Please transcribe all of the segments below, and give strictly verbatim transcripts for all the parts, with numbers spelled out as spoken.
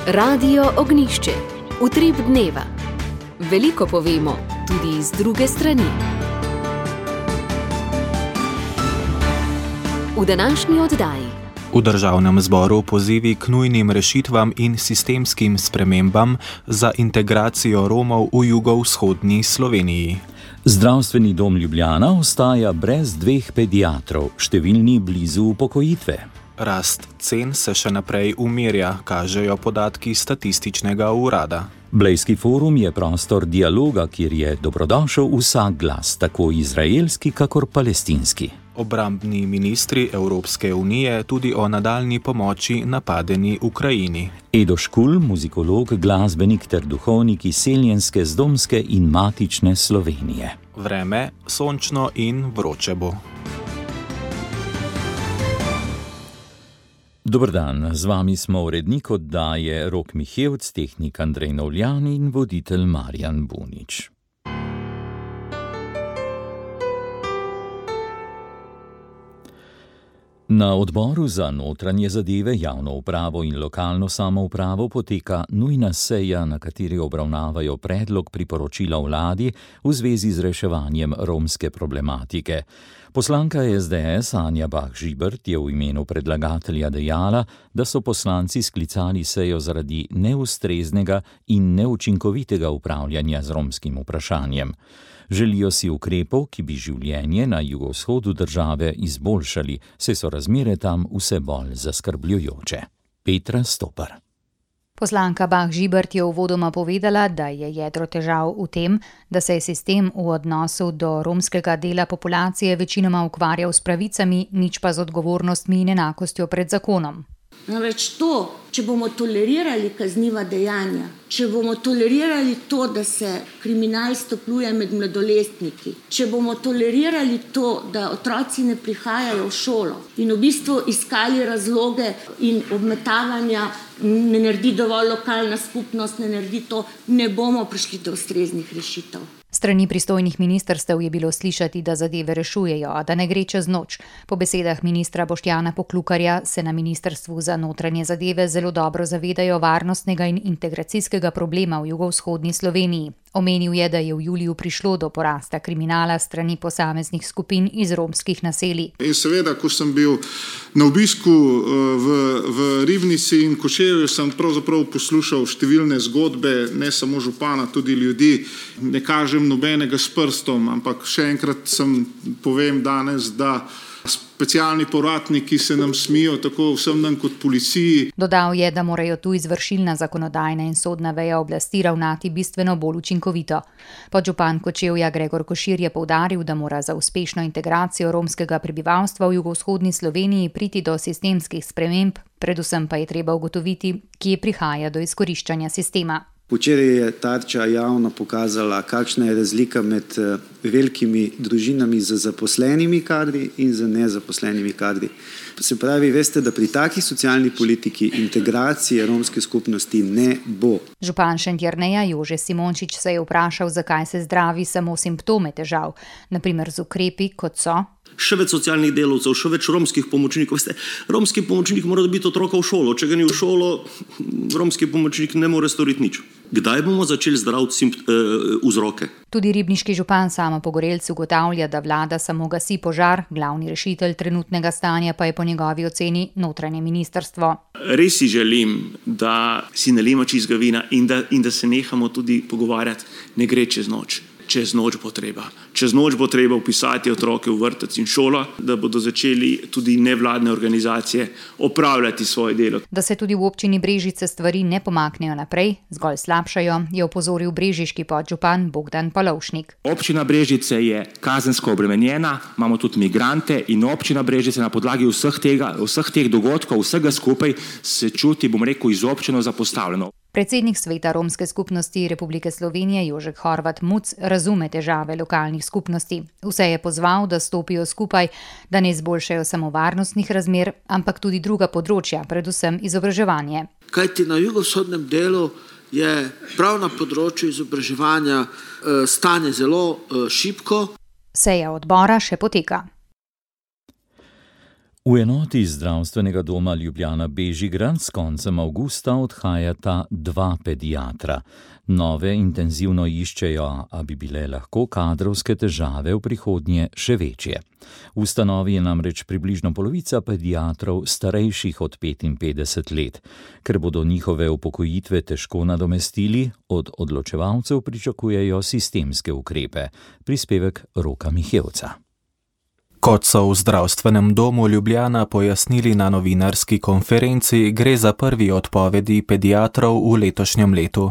Radio Ognjišče. Utrip dneva. Veliko povemo, tudi iz druge strani. V današnji oddaji. V državnem zboru pozivi k nujnim rešitvam in sistemskim spremembam za integracijo Romov v jugovzhodni Sloveniji. Zdravstveni dom Ljubljana ostaja brez dveh pediatrov, številni blizu upokojitve. Rast cen se še naprej umirja, kažejo podatki statističnega urada. Blejski forum je prostor dialoga, kjer je dobrodošel vsak glas, tako izraelski kakor palestinski. Obrambni ministri Evropske unije tudi o nadaljnji pomoči napadeni Ukrajini. Edo Škulj, muzikolog, glasbenik ter duhovnik iz seljenske, zdomske in matične Slovenije. Vreme sončno in vroče bo. Dober dan, z vami smo urednik oddaje Rok Mihevc, tehnik Andrej Novljan in voditelj Marjan Bunič. Na odboru za notranje zadeve, javno upravo in lokalno samoupravo poteka nujna seja, na kateri obravnavajo predlog priporočila vladi v zvezi z reševanjem romske problematike. Poslanka es de es Anja Bah Žibert je v imenu predlagatelja dejala, da so poslanci sklicali sejo zaradi neustreznega in neučinkovitega upravljanja z romskim vprašanjem. Želijo si ukrepov, ki bi življenje na jugovzhodu države izboljšali, saj so razmere tam vse bolj zaskrbljujoče. Petra Stopar. Poslanka Bah Žibert je uvodoma povedala, da je jedro težav v tem, da se je sistem v odnosu do romskega dela populacije večinoma ukvarjal s pravicami, nič pa z odgovornostmi in enakostjo pred zakonom. Namreč to, če bomo tolerirali kazniva dejanja, če bomo tolerirali to, da se kriminal stopnjuje med mladoletniki, če bomo tolerirali to, da otroci ne prihajajo v šolo in v bistvu iskali razloge in obmetavanja, ne naredi dovolj lokalna skupnost, ne naredi to, ne bomo prišli do ustreznih rešitev. Strani pristojnih ministrstev je bilo slišati, da zadeve rešujejo, a da ne gre čez noč. Po besedah ministra Boštjana Poklukarja se na ministrstvu za notranje zadeve zelo dobro zavedajo varnostnega in integracijskega problema v jugovzhodni Sloveniji. Omenil je, da je v juliju prišlo do porasta kriminala strani posameznih skupin iz romskih naselij. In seveda, ko sem bil na obisku v, v Ribnici in Kočevju, sem pravzaprav poslušal številne zgodbe, ne samo župana, tudi ljudi. Ne kažem nobenega s prstom, ampak še enkrat sem povem danes, da specialni povratniki se nam smijo tako vsem nam kot policiji. Dodal je, da morajo tu izvršilna, zakonodajna in sodna veja oblasti ravnati bistveno bolj učinkovito. Podžupan Kočevja Gregor Košir je poudaril, da mora za uspešno integracijo romskega prebivalstva v jugovzhodni Sloveniji priti do sistemskih sprememb, predvsem pa je treba ugotoviti, kje prihaja do izkoriščanja sistema. Včeraj je Tarča javno pokazala, kakšna je razlika med velikimi družinami z zaposlenimi kadri in z nezaposlenimi kadri. Se pravi, veste, da pri takih socialni politiki integracije romske skupnosti ne bo. Župan Šentjerneja Jože Simončič se je vprašal, zakaj se zdravi samo simptome težav, na primer z ukrepi, kot so še več socialnih delavcev, še več romskih pomočnikov. Veste, romski pomočnik mora dobiti otroka v šolo. Če ga ni v šolo, romski pomočnik ne more storiti nič. Kdaj bomo začeli zdraviti simpt- eh, vzroke? Tudi ribniški župan Samo Pogorelc ugotavlja, da vlada samo gasi požar, glavni rešitelj trenutnega stanja pa je po njegovi oceni notranje ministrstvo. Res si želim, da si nalijemo čistega vina in da, in da se nehamo tudi pogovarjati. Ne gre čez noč. Čez noč bo treba. Čez noč bo treba vpisati otroke v vrtec in šolo, da bodo začeli tudi nevladne organizacije opravljati svoje delo. Da se tudi v občini Brežice stvari ne pomaknejo naprej, zgolj slabšajo, je opozoril brežiški podžupan Bogdan Polovšnik. Občina Brežice je kazensko obremenjena, imamo tudi migrante in občina Brežice na podlagi vseh, tega, vseh teh dogodkov, vsega skupaj se čuti, bom rekel, izobčeno zapostavljeno. Predsednik Sveta romske skupnosti Republike Slovenije Jožek Horvat Muc razume težave lokalnih skupnosti. Vse je pozval, da stopijo skupaj, da ne izboljšajo samo varnostnih razmer, ampak tudi druga področja, predvsem izobraževanje. Kajti na jugovzhodnem delu je prav na področju izobraževanja stanje zelo šibko. Seja odbora še poteka. V enoti zdravstvenega doma Ljubljana Bežigrad s koncem avgusta odhajata dva pediatra. Nove intenzivno iščejo, a bi bile lahko kadrovske težave v prihodnje še večje. V ustanovi je namreč približno polovica pediatrov starejših od petinpetdeset let. Ker bodo njihove upokojitve težko nadomestili, od odločevalcev pričakujejo sistemske ukrepe. Prispevek Roka Mihevca. Kot so v zdravstvenem domu Ljubljana pojasnili na novinarski konferenci, gre za prvi odpovedi pediatrov v letošnjem letu.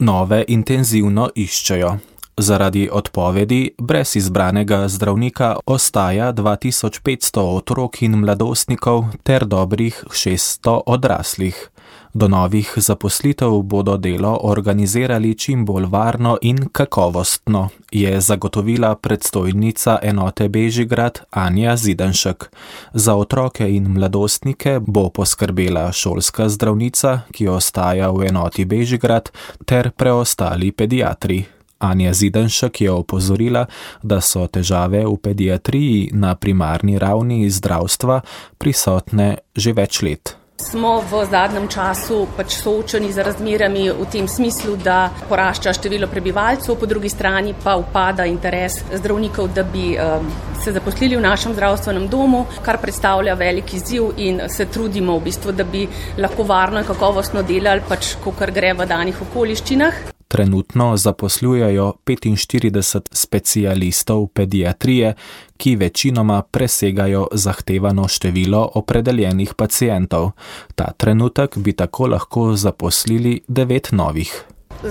Nove intenzivno iščejo. Zaradi odpovedi brez izbranega zdravnika ostaja dva tisoč petsto otrok in mladostnikov ter dobrih šeststo odraslih. Do novih zaposlitev bodo delo organizirali čim bolj varno in kakovostno, je zagotovila predstojnica enote Bežigrad Anja Zidanšek. Za otroke in mladostnike bo poskrbela šolska zdravnica, ki ostaja v enoti Bežigrad, ter preostali pediatri. Anja Zidanšek je opozorila, da so težave v pediatriji na primarni ravni zdravstva prisotne že več let. Smo v zadnjem času pač soočeni z razmerami v tem smislu, da porašča število prebivalcev, po drugi strani pa upada interes zdravnikov, da bi um, se zaposlili v našem zdravstvenem domu, kar predstavlja velik izziv in se trudimo v bistvu, da bi lahko varno in kakovostno delali, pač kakor gre v danih okoliščinah. Trenutno zaposlujejo petinštirideset specialistov pediatrije, ki večinoma presegajo zahtevano število opredeljenih pacientov. Ta trenutek bi tako lahko zaposlili devet novih.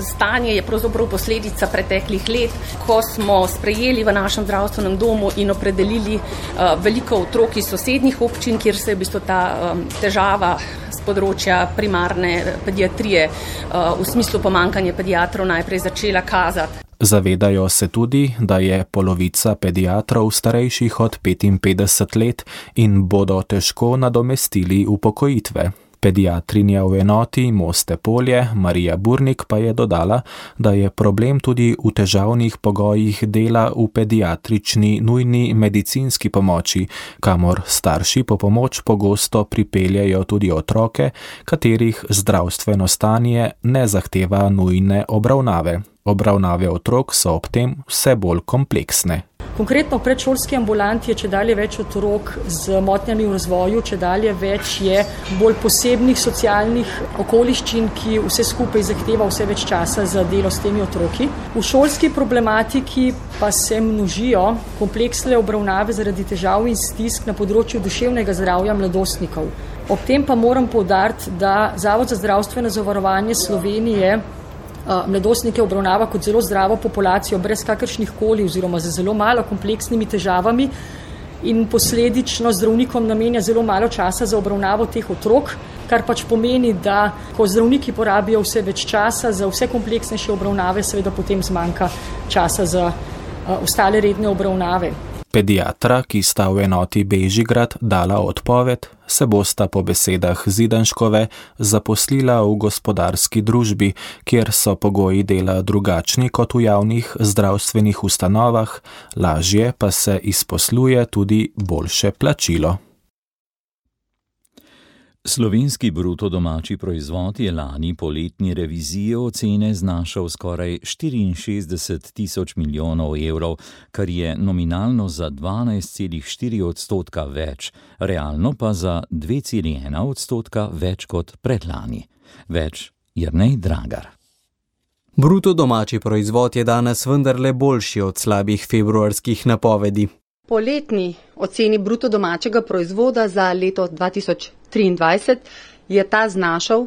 Stanje je pravzaprav posledica preteklih let, ko smo sprejeli v našem zdravstvenem domu in opredelili uh, veliko otrok iz sosednjih občin, kjer se je v bistvu ta um, težava z področja primarne pediatrije uh, v smislu pomanjkanja pediatrov najprej začela kazati. Zavedajo se tudi, da je polovica pediatrov starejših od petinpetdeset let in bodo težko nadomestili upokojitve. Pediatrinja v enoti Moste Polje, Marija Burnik, pa je dodala, da je problem tudi v težavnih pogojih dela v pediatrični nujni medicinski pomoči, kamor starši po pomoč pogosto pripeljejo tudi otroke, katerih zdravstveno stanje ne zahteva nujne obravnave. Obravnave otrok so ob tem vse bolj kompleksne. Konkretno v predšolski ambulanti je čedalje več otrok z motnjami v razvoju, čedalje več je bolj posebnih socialnih okoliščin, ki vse skupaj zahteva vse več časa za delo s temi otroki. V šolski problematiki pa se množijo kompleksne obravnave zaradi težav in stisk na področju duševnega zdravja mladostnikov. Ob tem pa moram poudariti, da Zavod za zdravstveno zavarovanje Slovenije mladostnike obravnava kot zelo zdravo populacijo, brez kakršnih koli oziroma z zelo malo kompleksnimi težavami in posledično zdravnikom namenja zelo malo časa za obravnavo teh otrok, kar pač pomeni, da ko zdravniki porabijo vse več časa za vse kompleksnejše obravnave, seveda potem zmanjka časa za uh, ostale redne obravnave. Pediatra, ki sta v enoti Bežigrad dala odpoved, se bosta po besedah Zidanškove zaposlila v gospodarski družbi, kjer so pogoji dela drugačni kot v javnih zdravstvenih ustanovah, lažje pa se izposluje tudi boljše plačilo. Slovenski bruto domači proizvod je lani po letni reviziji ocene znašal skoraj štiriinšestdeset tisoč milijonov evrov, kar je nominalno za dvanajst celih štiri odstotka več, realno pa za dve celih ena odstotka več kot predlani. Več Jernej Dragar. Bruto domači proizvod je danes vendarle boljši od slabih februarskih napovedi. Po letni oceni bruto domačega proizvoda za leto dva tisoč triindvajset je ta znašal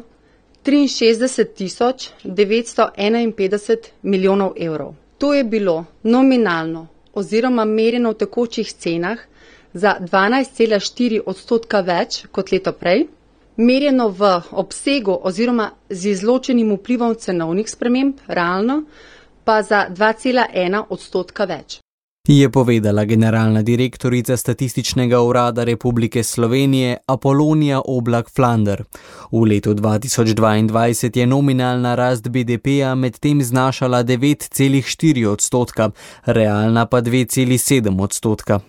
triinšestdeset tisoč devetsto enainpetdeset milijonov evrov. To je bilo nominalno oziroma merjeno v tekočih cenah za dvanajst celih štiri odstotka več kot leto prej, merjeno v obsegu oziroma z izločenim vplivom cenovnih sprememb, realno pa za dva celih ena odstotka več. Je povedala generalna direktorica Statističnega urada Republike Slovenije Apolonija Oblak-Flander. V letu dva tisoč dvaindvajset je nominalna rast B D P-ja medtem znašala devet celih štiri odstotka, realna pa dve celih sedem odstotka.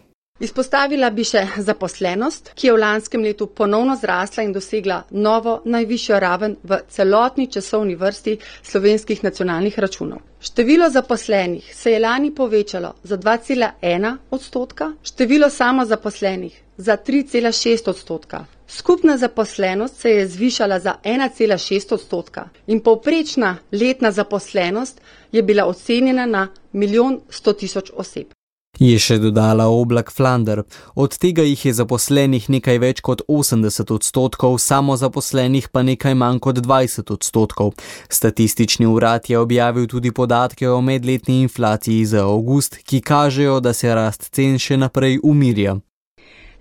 Izpostavila bi še zaposlenost, ki je v lanskem letu ponovno zrasla in dosegla novo najvišjo raven v celotni časovni vrsti slovenskih nacionalnih računov. Število zaposlenih se je lani povečalo za dva cela ena odstotka, število samozaposlenih za tri cela šest odstotka. Skupna zaposlenost se je zvišala za ena cela šest odstotka in povprečna letna zaposlenost je bila ocenjena na milijon sto tisoč oseb. Je še dodala Oblak Flander. Od tega jih je zaposlenih nekaj več kot osemdeset odstotkov, samozaposlenih pa nekaj manj kot dvajset odstotkov. Statistični urad je objavil tudi podatke o medletni inflaciji za avgust, ki kažejo, da se rast cen še naprej umirja.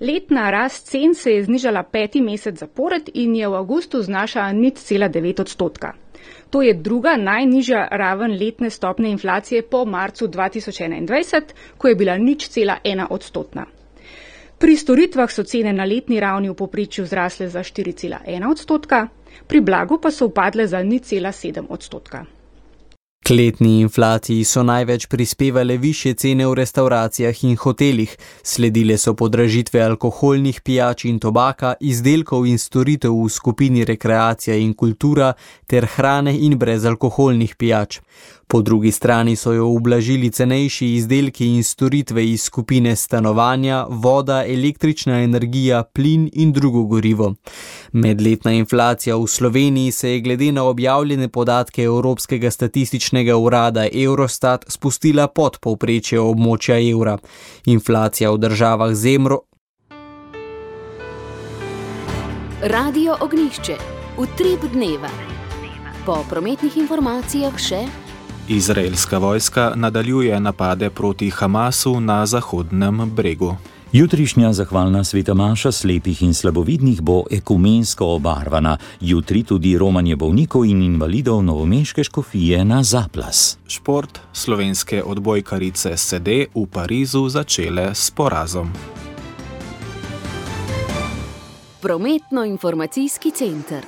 Letna rast cen se je znižala peti mesec zapored in je v avgustu znašala nič cela devet odstotka. To je druga najnižja raven letne stopne inflacije po marcu dva tisoč enaindvajset, ko je bila nič cela ena odstotna. Pri storitvah so cene na letni ravni v povprečju zrasle za štiri cela ena odstotka, pri blagu pa so upadle za nič cela sedem odstotka. K letni inflaciji so največ prispevale višje cene v restauracijah in hotelih, sledile so podražitve alkoholnih pijač in tobaka, izdelkov in storitev v skupini rekreacija in kultura ter hrane in brezalkoholnih pijač. Po drugi strani so jo ublažili cenejši izdelki in storitve iz skupine stanovanja, voda, električna energija, plin in drugo gorivo. Medletna inflacija v Sloveniji se je glede na objavljene podatke Evropskega statističnega urada Eurostat spustila pod povprečje območja evra. Inflacija v državah z evro... Radio Ognjišče. Utrip dneva. Po prometnih informacijah še... Izraelska vojska nadaljuje napade proti Hamasu na Zahodnem bregu. Jutrišnja zahvalna sveta maša slepih in slabovidnih bo ekumensko obarvana. Jutri tudi romanje bolnikov in invalidov novomeške škofije na Zaplas. Šport. Slovenske odbojkarice se de v Parizu začele s porazom. Prometno-informacijski center.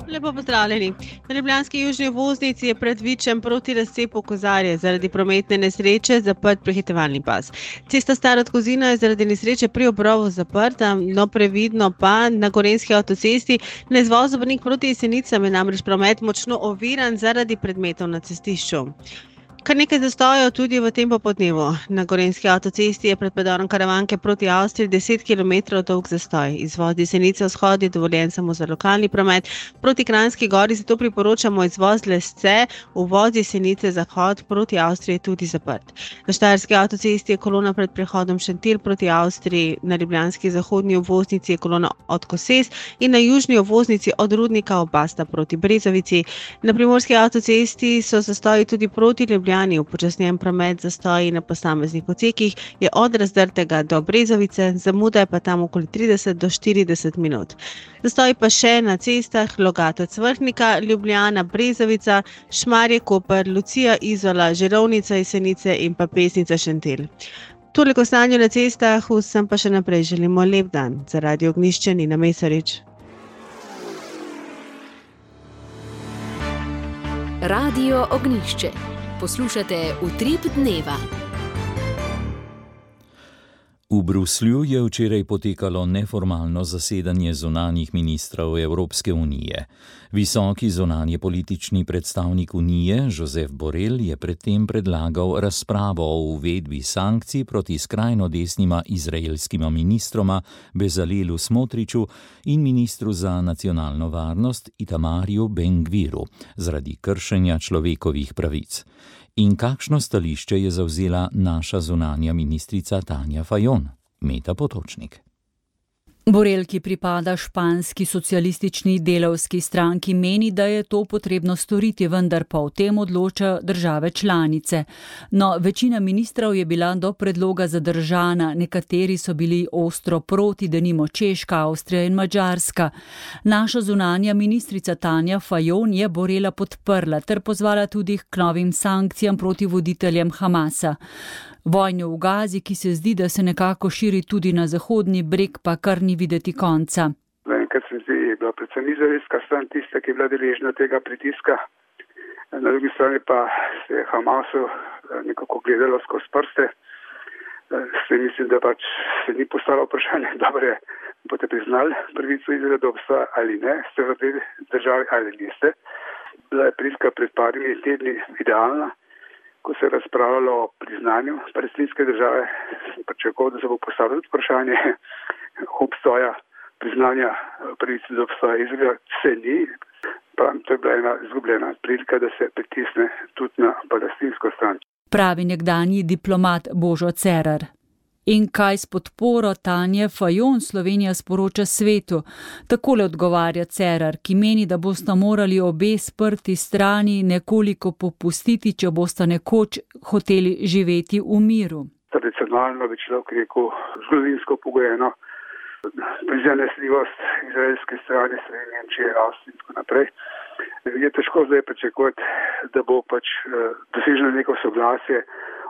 Lepo pozdravljeni. Na ljubljanski južni obvoznici je pred Vičem proti razcepu Kozarje zaradi prometne nesreče zaprt prehitevalni pas. Cesta Stara od Kozina je zaradi nesreče pri obrovu zaprta, no previdno pa na Gorenjski avtocesti na izvozu Brnik proti Jesenicam je namreč promet močno oviran zaradi predmetov na cestišču. Kar nekaj zastojev tudi v tem popoldnevu. Na Gorenjski avtocesti je pred predorom Karavanke proti Avstriji deset kilometrov dolg zastoj. Izvoz Jesenice vzhod je dovoljen samo za lokalni promet. Proti Kranjski gori zato priporočamo izvoz Lesce, uvoz Jesenice zahod proti Avstriji je tudi zaprt. Na Štajerski avtocesti je kolona pred prehodom Šentilj proti Avstriji, na ljubljanski zahodni obvoznici je kolona od Koses in na južni obvoznici od Rudnika Obasta proti Brezovici. Na Primorski avtocesti so zastoji tudi proti Ljubljani. Upočasnjen promet zastoji na posameznih odsekih je od Razdrtega do Brezovice, zamuda je pa tam okoli trideset do štirideset minut. Zastoji pa še na cestah Logatec Vrhnika, Ljubljana, Brezovica, Šmarje Koper, Lucija Izola, Žirovnica Jesenice in pa Pesnica Šentilj. Toliko stanju na cestah, vsem pa še naprej želimo lep dan. Za Radio Ognjišče Nina Mesarič. Radio Ognjišče. Poslušate Utrip dneva. V Bruslju je včeraj potekalo neformalno zasedanje zunanjih ministrov Evropske unije. Visoki zunanje politični predstavnik Unije, Josep Borrell, je predtem predlagal razpravo o uvedbi sankcij proti skrajno desnima izraelskima ministroma Bezalelu Smotriču in ministru za nacionalno varnost Itamarju Ben-Gviru zaradi kršenja človekovih pravic. In kakšno stališče je zavzela naša zunanja ministrica Tanja Fajon? Meta Potočnik. Borrell, ki pripada španski socialistični delavski stranki, meni, da je to potrebno storiti, vendar pa o tem odloča države članice. No, večina ministrov je bila do predloga zadržana, nekateri so bili ostro proti, denimo Češka, Avstrija in Madžarska. Naša zunanja ministrica Tanja Fajon je Borrella podprla ter pozvala tudi k novim sankcijam proti voditeljem Hamasa. Vojno v Gazi, ki se zdi, da se nekako širi tudi na Zahodni breg, pa kar ni videti konca. Enkrat se zdi, je bila predvsem izraelska stran tista, ki je bila deležna tega pritiska. Na drugi strani pa se je Hamasu nekako gledalo skozi prste. S tem mislim, da pač se ni postalo vprašanje, dobro je, boste priznali pravico Izraela do obstoja ali ne, ste v tej državi ali niste. Bila je prilika pred parimi tedni idealna, ko se je razpravljalo o priznanju palestinske države, pričakoval, da se bo postavilo vprašanje obstoja, priznanja pravice do obstoja Izraela. Se ni, pravim, to je bila ena izgubljena prilika, da se pritisne tudi na palestinsko stran. Pravi nekdanji diplomat Božo Cerar. In kaj s podporo Tanje Fajon Slovenija sporoča svetu? Takole odgovarja Cerar, ki meni, da bosta morali obe sprti strani nekoliko popustiti, če bosta nekoč hoteli živeti v miru. Tradicionalno bi človek rekel zgodovinsko pogojeno prizanesljivost izraelske strani, Slovenije, Nemčije, Avstrije in tako naprej. Je težko zdaj pričakovati, da bo pač doseženo neko soglasje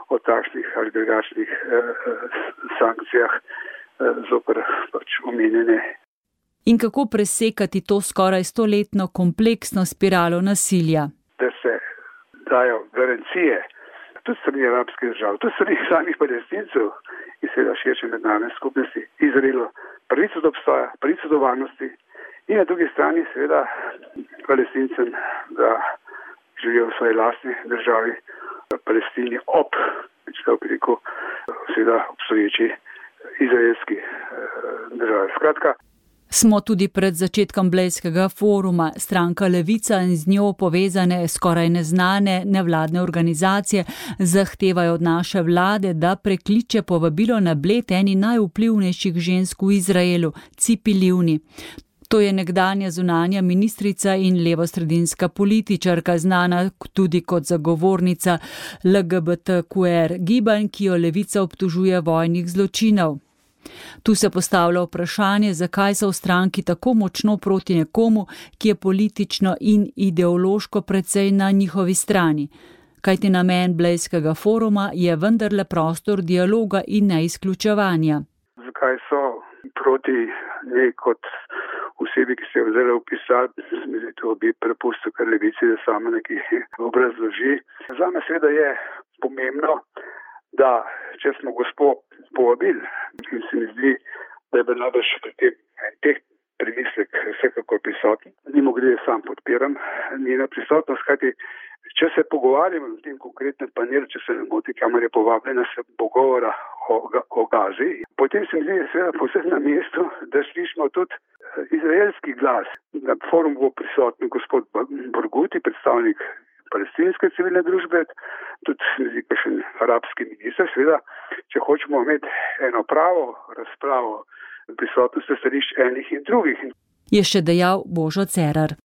o takšnih ali drugačnih eh, sankcijah eh, zoper pač omenjene. In kako presekati to skoraj stoletno kompleksno spiralo nasilja? Da se dajo garancije tudi strani arabskih držav, tudi strani samih Palestincev in seveda širše mednarodne skupnosti Izraelu pravico do obstoja, pravico do varnosti in na drugi strani seveda Palestincem, da živijo v svoji lastni državi, Palestini ob, človek bi rekel, seveda obstoječi izraelski državi. Skratka, smo tudi pred začetkom Blejskega foruma. Stranka Levica in z njo povezane skoraj neznane nevladne organizacije zahtevajo od naše vlade, da prekliče povabilo na Bled eni najvplivnejših žensk v Izraelu, Cipi Livni. To je nekdanja zunanja ministrica in levosredinska političarka, znana tudi kot zagovornica L G B T Q R gibanj, ki jo Levica obtožuje vojnih zločinov. Tu se postavlja vprašanje, zakaj so v stranki tako močno proti nekomu, ki je politično in ideološko precej na njihovi strani. Kajti namen Blejskega foruma je vendarle prostor dialoga in neizključevanja. Zakaj so proti njej kot osebi, ki se je vzela upisati, mislim, to bi prepustil kar Levici, da sama nekaj obrazloži. Zame seveda je pomembno, da če smo gospod povabili, in se mi zdi, da je bil najbrž pri tem teh premislek vsekakor prisoten. Mimo grede sam podpiram njena prisotnost, kajti če se pogovarjamo v tem konkretnem panelu, če se ne moti, kamor je povabljena, se bo govora o, o Gazi. Potem se mi zdi seveda posebej na mestu, da slišimo tudi izraelski glas. Na forumu bo prisoten gospod Burguti, predstavnik palestinske civilne družbe, tudi kakšen arabski minister, seveda, če hočemo imeti eno pravo razpravo prisotnosti stališč enih in drugih. Je še dejal Božo Cerar.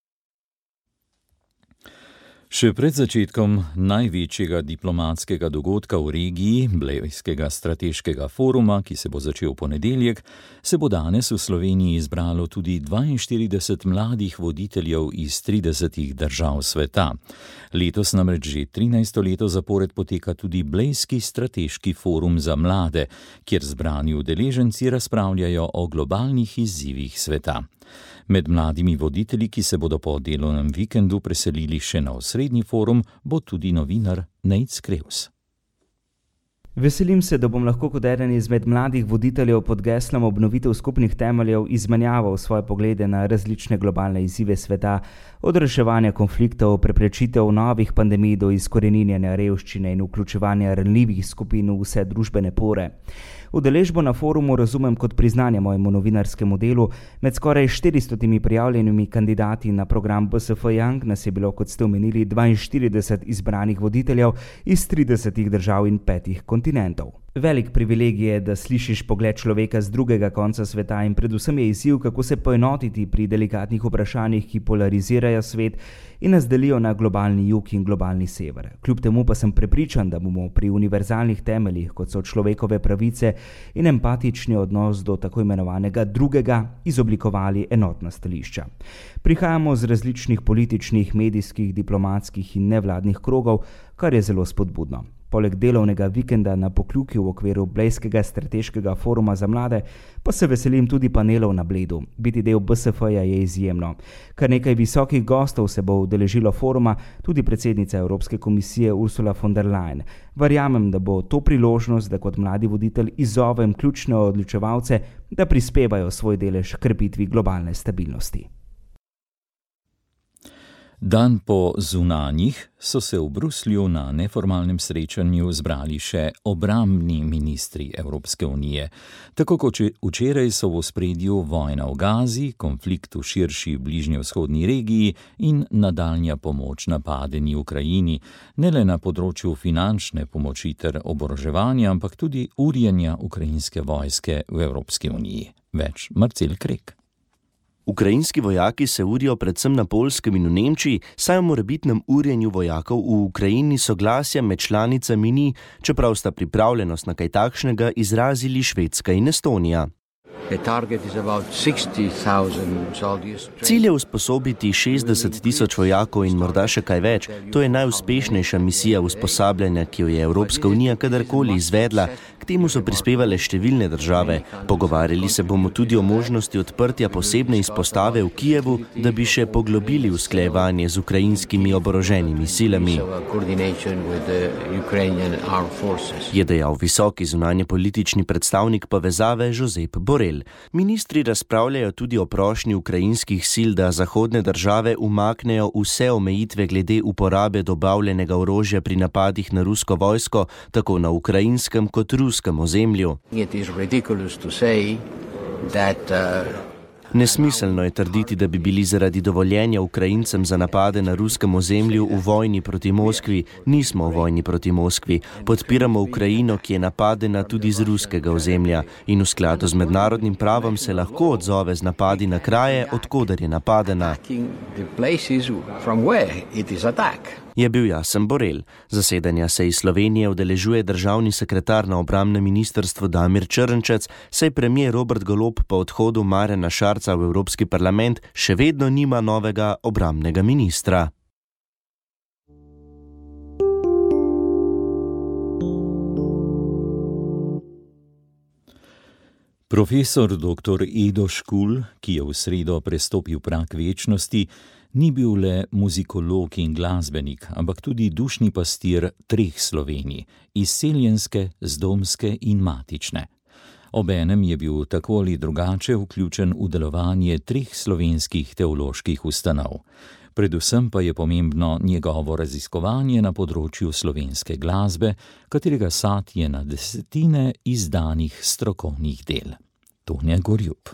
Še pred začetkom največjega diplomatskega dogodka v regiji, Blejskega strateškega foruma, ki se bo začel v ponedeljek, se bo danes v Sloveniji izbralo tudi dvainštirideset mladih voditeljev iz tridesetih držav sveta. Letos namreč že trinajsto leto zapored poteka tudi Blejski strateški forum za mlade, kjer zbrani udeleženci razpravljajo o globalnih izzivih sveta. Med mladimi voditelji, ki se bodo po delovnem vikendu preselili še na osrednji forum, bo tudi novinar Nejc Krevs. Veselim se, da bom lahko kot eden izmed mladih voditeljev pod geslom obnovitev skupnih temeljev izmenjaval svoje poglede na različne globalne izzive sveta, od reševanja konfliktov, preprečitev novih pandemij do izkoreninjanja revščine in vključevanja ranljivih skupin v vse družbene pore. Udeležbo na forumu razumem kot priznanje mojemu novinarskemu delu. Med skoraj štiristotimi prijavljenimi kandidati na program B S F Young nas je bilo, kot ste omenili, dvainštirideset izbranih voditeljev iz tridesetih držav in petih kontinentov. Velik privilegij je, da slišiš pogled človeka z drugega konca sveta in predvsem je izziv, kako se poenotiti pri delikatnih vprašanjih, ki polarizirajo svet in nas delijo na globalni jug in globalni sever. Kljub temu pa sem prepričan, da bomo pri univerzalnih temeljih, kot so človekove pravice in empatični odnos do tako imenovanega drugega, izoblikovali enotna stališča. Prihajamo z različnih političnih, medijskih, diplomatskih in nevladnih krogov, kar je zelo spodbudno. Poleg delovnega vikenda na Pokljuki v okviru Blejskega strateškega foruma za mlade pa se veselim tudi panelov na Bledu. Biti del B S F-ja je izjemno. Kar nekaj visokih gostov se bo udeležilo foruma, tudi predsednica Evropske komisije Ursula von der Leyen. Verjamem, da bo to priložnost, da kot mladi voditelj izzovem ključne odločevalce, da prispevajo svoj delež k krepitvi globalne stabilnosti. Dan po zunanjih so se v Bruslju na neformalnem srečanju zbrali še obrambni ministri Evropske unije. Tako kot včeraj so v ospredju vojna v Gazi, konflikt v širši bližnjevzhodni regiji in nadaljnja pomoč napadeni Ukrajini, ne le na področju finančne pomoči ter oboroževanja, ampak tudi urjenja ukrajinske vojske v Evropski uniji. Več Marcel Krek. Ukrajinski vojaki se urijo predvsem na Poljskem in v Nemčiji, saj o morebitnem urjenju vojakov v Ukrajini soglasja med članicami ni, čeprav sta pripravljenost na kaj takšnega izrazili Švedska in Estonija. Cilj je usposobiti šestdeset tisoč vojakov in morda še kaj več. To je najuspešnejša misija usposabljanja, ki jo je Evropska unija kadarkoli izvedla. K temu so prispevale številne države. Pogovarjali se bomo tudi o možnosti odprtja posebne izpostave v Kijevu, da bi še poglobili usklajevanje z ukrajinskimi oboroženimi silami. Je dejal visoki zunanjepolitični predstavnik povezave Josep Borrell. Ministri razpravljajo tudi o prošnji ukrajinskih sil, da zahodne države umaknejo vse omejitve glede uporabe dobavljenega orožja pri napadih na rusko vojsko, tako na ukrajinskem kot ruskem ozemlju. Nesmiselno je trditi, da bi bili zaradi dovoljenja Ukrajincem za napade na ruskem ozemlju v vojni proti Moskvi. Nismo v vojni proti Moskvi. Podpiramo Ukrajino, ki je napadena tudi z ruskega ozemlja in v skladu z mednarodnim pravom se lahko odzove z napadi na kraje, odkoder je napadena. Je bil jasen Borrell. Zasedanja se iz Slovenije udeležuje državni sekretar na obrambnem ministrstvu Damir Črnčec, saj premier Robert Golob po odhodu Marjana Šarca v Evropski parlament še vedno nima novega obrambnega ministra. Profesor doktor Edo Škulj, ki je v sredo prestopil prag večnosti, ni bil le muzikolog in glasbenik, ampak tudi dušni pastir treh Slovenij, izseljenske, zdomske in matične. Obenem je bil tako ali drugače vključen v delovanje treh slovenskih teoloških ustanov. Predvsem pa je pomembno njegovo raziskovanje na področju slovenske glasbe, katerega sad je na desetine izdanih strokovnih del. Tonja Gorjup.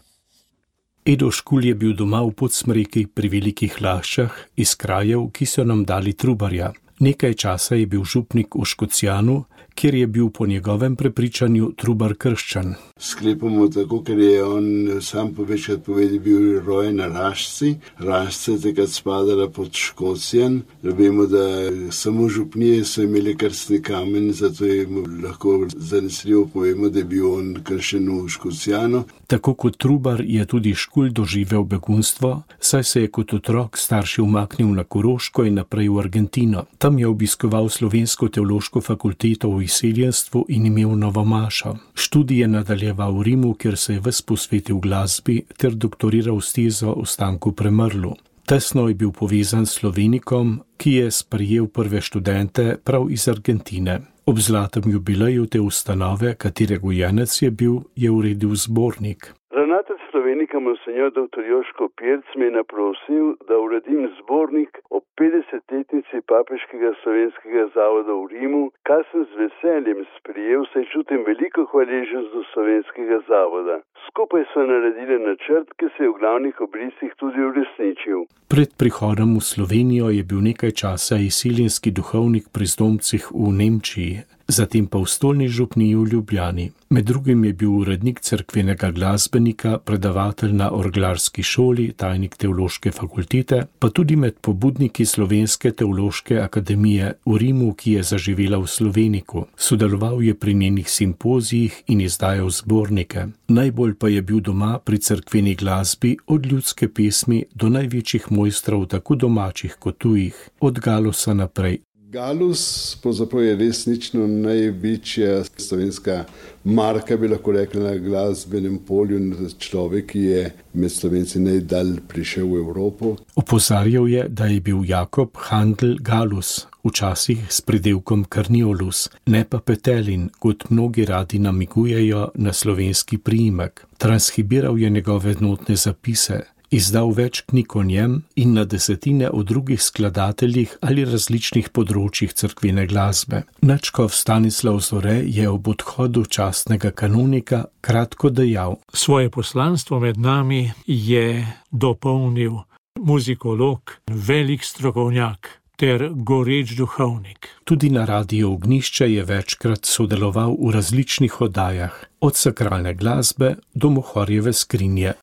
Edo Škulj je bil doma v Podsmreki pri Velikih Laščah iz krajev, ki so nam dali Trubarja. Nekaj časa je bil župnik v Škocjanu, kjer je bil po njegovem prepričanju Trubar krščan. Sklepamo tako, ker je on sam povečkrat povedal, bil rojen na Lašci. Lašce takrat spadala pod Škocjan. Vemo, da samo župnije so imeli krstni kamen, zato je lahko zanesljivo povemo, da je bil on krščen v Škocjanu. Tako kot Trubar je tudi Škulj doživel begunstvo, saj se je kot otrok starši umaknil na Koroško in naprej v Argentino. Tam je obiskoval Slovensko teološko fakulteto v izseljenstvu in imel novomašo. Študij je nadaljeval v Rimu, kjer se je ves posvetil glasbi ter doktoriral s tezo o Stanku Premrlu. Tesno je bil povezan s Slovenikom, ki je sprejel prve študente prav iz Argentine. Ob zlatem jubileju te ustanove, katere gojenec je bil, je uredil zbornik. Ravnatelj Slovenika monsenjor doktor Joško Pirc me je naprosil, da uredim zbornik o petdesetletnici Papeškega slovenskega zavoda v Rimu, kar sem z veseljem sprejel, saj čutim veliko hvaležnost do slovenskega zavoda. Skupaj so naredili načrt, ki se je v glavnih obrisih tudi uresničil. Pred prihodom v Slovenijo je bil nekaj časa izseljenski duhovnik pri zdomcih v Nemčiji, zatem pa v stolni župniji v Ljubljani. Med drugim je bil urednik cerkvenega glasbenika, predavatelj na orglarski šoli, tajnik teološke fakultete, pa tudi med pobudniki Slovenske teološke akademije v Rimu, ki je zaživela v Sloveniku. Sodeloval je pri njenih simpozijih in izdajal zbornike. Najbolj pa je bil doma pri cerkveni glasbi, od ljudske pesmi do največjih mojstrov, tako domačih kot tujih, od Galosa naprej. Galus pravzaprav je resnično največja slovenska marka, bi lahko rekli, na glasbenem polju, človek, ki je med Slovenci najdalj prišel v Evropo. Opozarjal je, da je bil Jakob Handel Galus, včasih s pridelkom Karniolus, ne pa Petelin, kot mnogi radi namigujejo na slovenski priimek. Transkribiral je njegove notne zapise, izdal več knjig o njem in na desetine o drugih skladateljih ali različnih področjih cerkvene glasbe. Nadškof Stanislav Zore je ob odhodu častnega kanonika kratko dejal: Svoje poslanstvo med nami je dopolnil muzikolog, velik strokovnjak ter goreč duhovnik. Tudi na Radiu Ognjišče je večkrat sodeloval v različnih oddajah, od sakralne glasbe do Mohorjeve skrinje.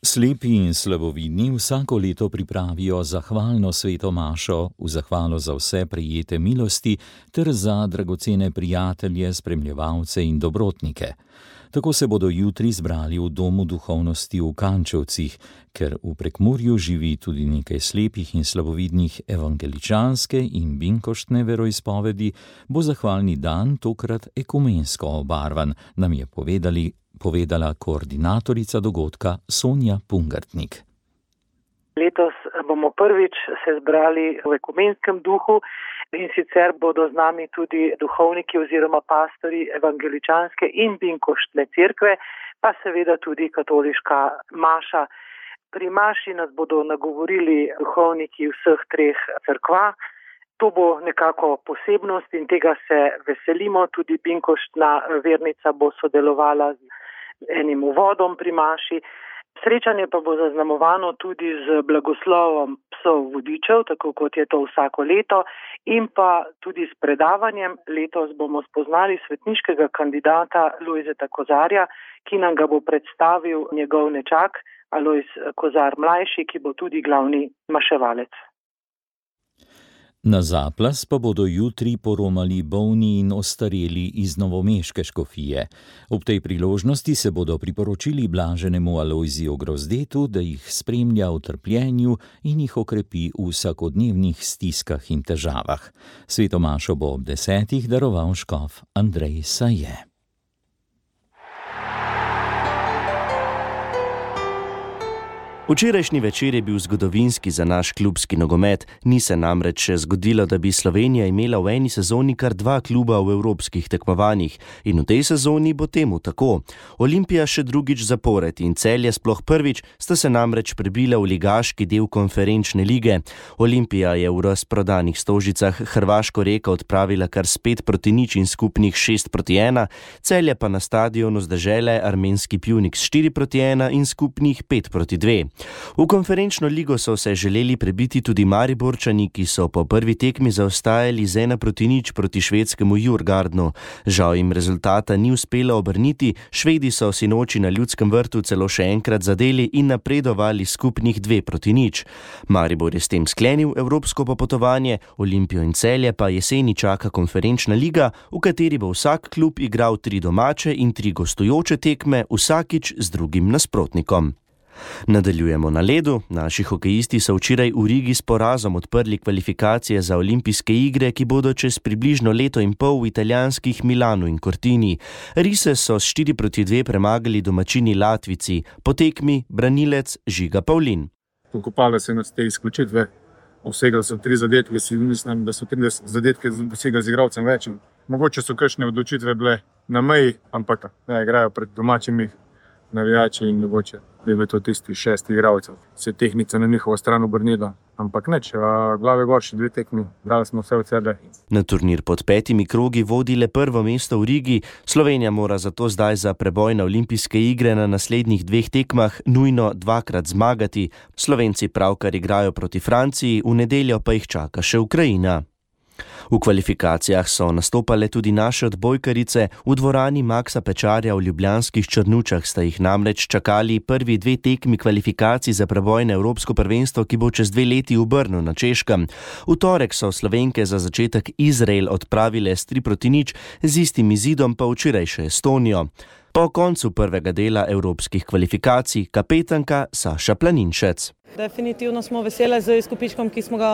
Slepi in slabovidni vsako leto pripravijo zahvalno sveto mašo v zahvalo za vse prejete milosti ter za dragocene prijatelje, spremljevalce in dobrotnike. Tako se bodo jutri zbrali v Domu duhovnosti v Kančevcih, ker v Prekmurju živi tudi nekaj slepih in slabovidnih evangeličanske in binkoštne veroizpovedi, bo zahvalni dan tokrat ekumensko obarvan, nam je povedali povedala koordinatorica dogodka Sonja Pungartnik. Letos bomo prvič se zbrali v ekumenskem duhu in sicer bodo z nami tudi duhovniki oziroma pastori evangeličanske in binkoštne cerkve, pa seveda tudi katoliška maša. Pri maši nas bodo nagovorili duhovniki vseh treh cerkva. To bo nekako posebnost in tega se veselimo. Tudi binkoštna vernica bo sodelovala z enim uvodom pri maši. Srečanje pa bo zaznamovano tudi z blagoslovom psov vodičev, tako kot je to vsako leto, in pa tudi s predavanjem. Letos bomo spoznali svetniškega kandidata Lojzeta Kozarja, ki nam ga bo predstavil njegov nečak Alojz Kozar mlajši, ki bo tudi glavni maševalec. Na zaplas pa bodo jutri poromali bolni in ostareli iz novomeške škofije. Ob tej priložnosti se bodo priporočili blaženemu Alojziju Grozdetu, da jih spremlja v trpljenju in jih okrepi v vsakodnevnih stiskah in težavah. Sveto mašo bo ob desetih daroval škof Andrej Saje. Včerajšnji večer je bil zgodovinski za naš klubski nogomet, ni se namreč še zgodilo, da bi Slovenija imela v eni sezoni kar dva kluba v evropskih tekmovanjih in v tej sezoni bo temu tako. Olimpija še drugič zapored in Celje sploh prvič sta se namreč prebila v ligaški del konferenčne lige. Olimpija je v razprodanih Stožicah Hrvaško Reko odpravila kar s pet proti nič in skupnih šest proti ena, Celje pa na stadionu z dežele armenski Pjunik s štiri proti ena in skupnih pet proti dve. V konferenčno ligo so se želeli prebiti tudi Mariborčani, ki so po prvi tekmi zaostajali z ena proti nič proti švedskemu Djurgardenu. Žal jim rezultata ni uspelo obrniti, Švedi so sinoči na Ljudskem vrtu celo še enkrat zadeli in napredovali skupnih dve proti nič. Maribor je s tem sklenil evropsko popotovanje, Olimpijo in Celje pa jeseni čaka konferenčna liga, v kateri bo vsak klub igral tri domače in tri gostujoče tekme, vsakič z drugim nasprotnikom. Nadaljujemo na ledu. Naši hokejisti so včeraj v Rigi s porazom odprli kvalifikacije za olimpijske igre, ki bodo čez približno leto in pol v italijanskih Milanu in Cortini. Rise so s štiri proti dve premagali domačini Latvici, po tekmi branilec Žiga Pavlin. Pokopale se nas te izključitve, vsegali so tri zadetke, si mislim, da so tri zadetke dosegali z igralcem več. Mogoče so kakšne odločitve bile na meji, ampak ne igrajo pred domačimi navijači in mogoče bi bilo to tisti šesti igralcev. Se tehnica na njihovo stran obrnila, ampak neč, glave gor še dve tekmi, dali smo vse od sebe. Na turnir pod petimi krogi vodi le prvo mesto v Rigi, Slovenija mora zato zdaj za preboj na olimpijske igre na naslednjih dveh tekmah nujno dvakrat zmagati. Slovenci pravkar igrajo proti Franciji, v nedeljo pa jih čaka še Ukrajina. V kvalifikacijah so nastopale tudi naše odbojkarice. V dvorani Maksa Pečarja v ljubljanskih Črnučah sta jih namreč čakali prvi dve tekmi kvalifikacij za preboj na Evropsko prvenstvo, ki bo čez dve leti v Brnu na Češkem. V torek so Slovenke za začetek Izrael odpravile s tri proti nič, z istim izidom pa včeraj še Estonijo. Po koncu prvega dela evropskih kvalifikacij kapetanka Saša Planinšec. Definitivno smo vesele z izkupičkom, ki smo ga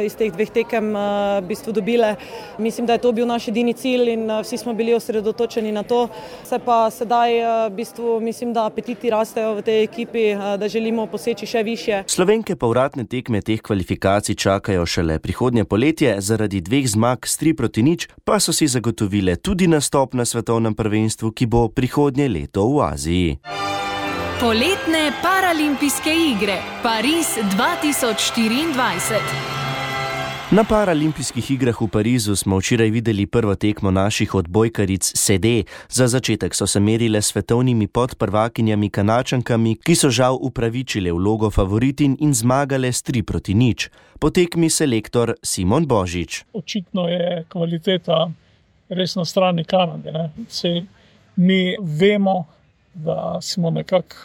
iz teh dveh tekem v bistvu dobile. Mislim, da je to bil naš edini cilj in vsi smo bili osredotočeni na to. Se pa sedaj v bistvu mislim, da apetiti rastejo v tej ekipi, da želimo poseči še višje. Slovenke povratne tekme teh kvalifikacij čakajo šele prihodnje poletje, zaradi dveh zmag s tri proti nič pa so si zagotovile tudi nastop na svetovnem prvenstvu, ki bo prihodnje leto v Aziji. Poletne paralimpijske igre Pariz dva tisoč štiriindvajset. Na paralimpijskih igrah v Parizu smo včeraj videli prvo tekmo naših odbojkaric sede. Za začetek so se merile s svetovnimi podprvakinjami Kanačankami, ki so žal upravičile vlogo favoritin in zmagale s tri proti nič. Po tekmi selektor Simon Božič. Očitno je kvaliteta res na strani Kanade. Ne? Se, mi vemo, da smo nekako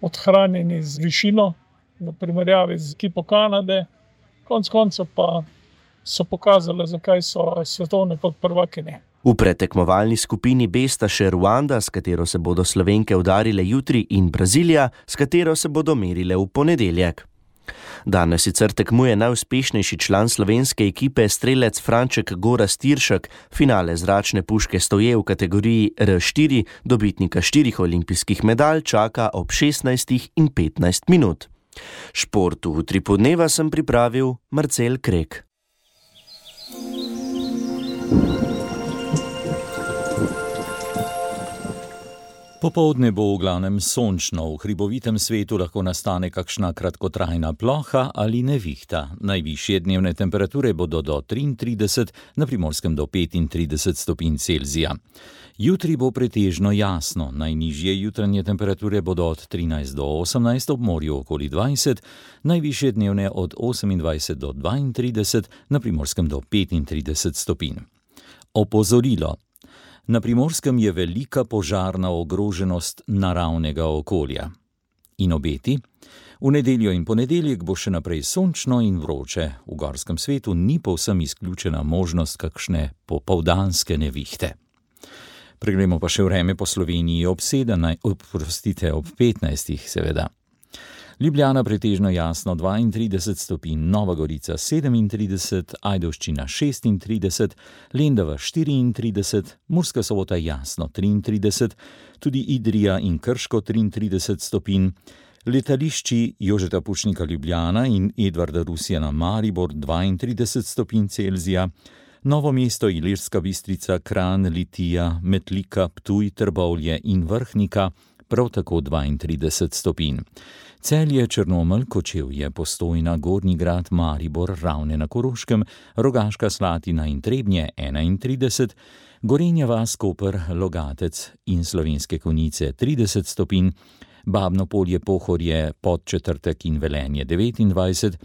odhranjeni z višino v primerjavi z ekipo Kanade. Konec konca pa so pokazali, zakaj so svetovne podprvakinje. V predtekmovalni skupini B sta še Ruanda, s katero se bodo Slovenke udarile jutri, in Brazilija, s katero se bodo merile v ponedeljek. Danes sicer tekmuje najuspešnejši član slovenske ekipe, strelec Franček Gorazd Tiršek. Finale zračne puške stoje v kategoriji R štiri, dobitnika štirih olimpijskih medalj čaka ob šestnajstih in petnajst minut. Šport v utripu dneva sem pripravil Marcel Krek. Popoldne bo v glavnem sončno, v hribovitem svetu lahko nastane kakšna kratkotrajna ploha ali nevihta. Najvišje dnevne temperature bodo do triintrideset, na Primorskem do petintrideset stopinj Celzija. Jutri bo pretežno jasno, najnižje jutranje temperature bodo od trinajst do osemnajst, ob morju okoli dvajset, najvišje dnevne od osemindvajset do dvaintrideset, na Primorskem do petintrideset stopinj. Opozorilo. Na Primorskem je velika požarna ogroženost naravnega okolja. In obeti? V nedeljo in ponedeljek bo še naprej sončno in vroče. V gorskem svetu ni povsem izključena možnost kakšne popoldanske nevihte. Preglejmo pa še vreme po Sloveniji ob sedemnajst, oprostite, ob petnajstih seveda. Ljubljana pretežno jasno dvaintrideset stopinj, Nova Gorica sedemintrideset, Ajdovščina šestintrideset, Lendava štiriintrideset, Murska Sobota jasno triintrideset, tudi Idrija in Krško triintrideset stopinj, letališči Jožeta Pučnika Ljubljana in Edvarda Rusjana Maribor dvaintrideset stopinj Celzija, Novo mesto, Ilirska Bistrica, Kranj, Litija, Metlika, Ptuj, Trbovlje in Vrhnika prav tako dvaintrideset stopinj. Celje, Črnomelj, Kočevje, Postojna, Gornji Grad, Maribor, Ravne na Koroškem, Rogaška Slatina in Trebnje enaintrideset, Gorenja vas, Koper, Logatec in Slovenske Konjice trideset stopinj, Babno Polje, Pohorje, Podčetrtek in Velenje devetindvajset,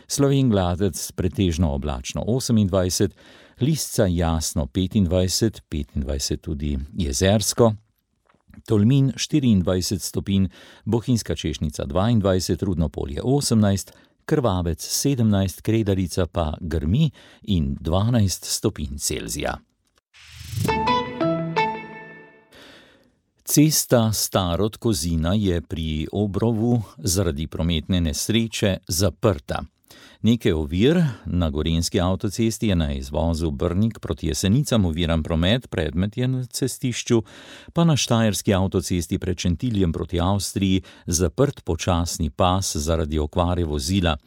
Slovenj Gladec pretežno oblačno osemindvajset, Lisca jasno petindvajset, petindvajset tudi Jezersko, Tolmin štiriindvajset stopinj, Bohinjska Češnica dvaindvajset, Rudno Polje osemnajst, Krvavec sedemnajst, Kredarica pa grmi in dvanajst stopinj Celzija. Cesta Starod-Kozina je pri Obrovu zaradi prometne nesreče zaprta. Nekaj ovir na gorenjski avtocesti je na izvozu Brnik proti Jesenicam oviran promet, predmet je na cestišču, pa na štajerski avtocesti pred Šentiljem proti Avstriji zaprt počasni pas zaradi okvare vozila.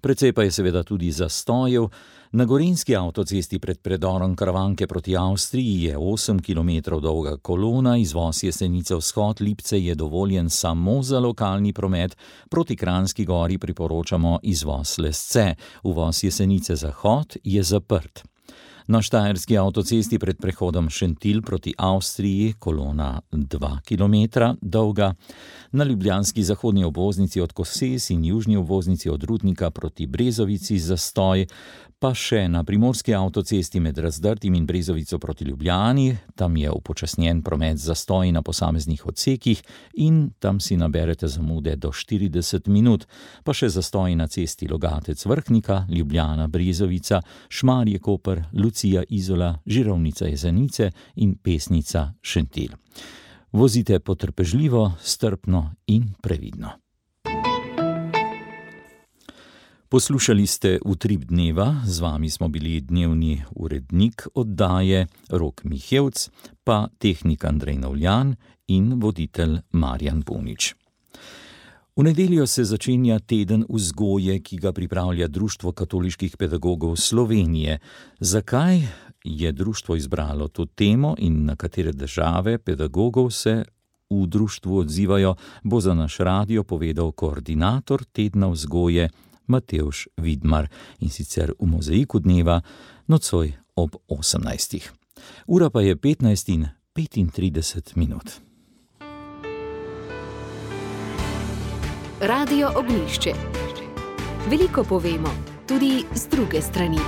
Precej pa je seveda tudi zastojev. Na gorenjski avtocesti pred predorom Karavanke proti Avstriji je osem kilometrov dolga kolona, izvoz Jesenice vzhod Lipce je dovoljen samo za lokalni promet, proti Kranjski gori priporočamo izvoz Lesce, uvoz Jesenice zahod je zaprt. Na štajerski avtocesti pred prehodom Šentilj proti Avstriji kolona dva kilometra dolga, na ljubljanski zahodni obvoznici od Koses in južni obvoznici od Rudnika proti Brezovici zastoj, pa še na primorski avtocesti med Razdrtim in Brezovico proti Ljubljani, tam je upočasnjen promet zastoj na posameznih odsekih in tam si naberete zamude do štirideset minut, pa še zastoj na cesti Logatec Vrhnika, Ljubljana Brezovica, Šmarje Koper, Lucija Izola, Žirovnica Jesenice in Pesnica Šentilj. Vozite potrpežljivo, strpno in previdno. Poslušali ste Utrip dneva, z vami smo bili dnevni urednik oddaje Rok Mihevc, pa tehnik Andrej Navljan in voditelj Marjan Punič. V nedeljo se začenja teden vzgoje, ki ga pripravlja Društvo katoliških pedagogov Slovenije. Zakaj je društvo izbralo to temo in na katere države pedagogov se v društvu odzivajo, bo za naš radio povedal koordinator tedna vzgoje Matevž Vidmar, in sicer v Mozaiku dneva nocoj ob osemnajstih. Ura pa je petnajst in petintrideset minut. Radio Ognjišče. Veliko povemo, tudi z druge strani.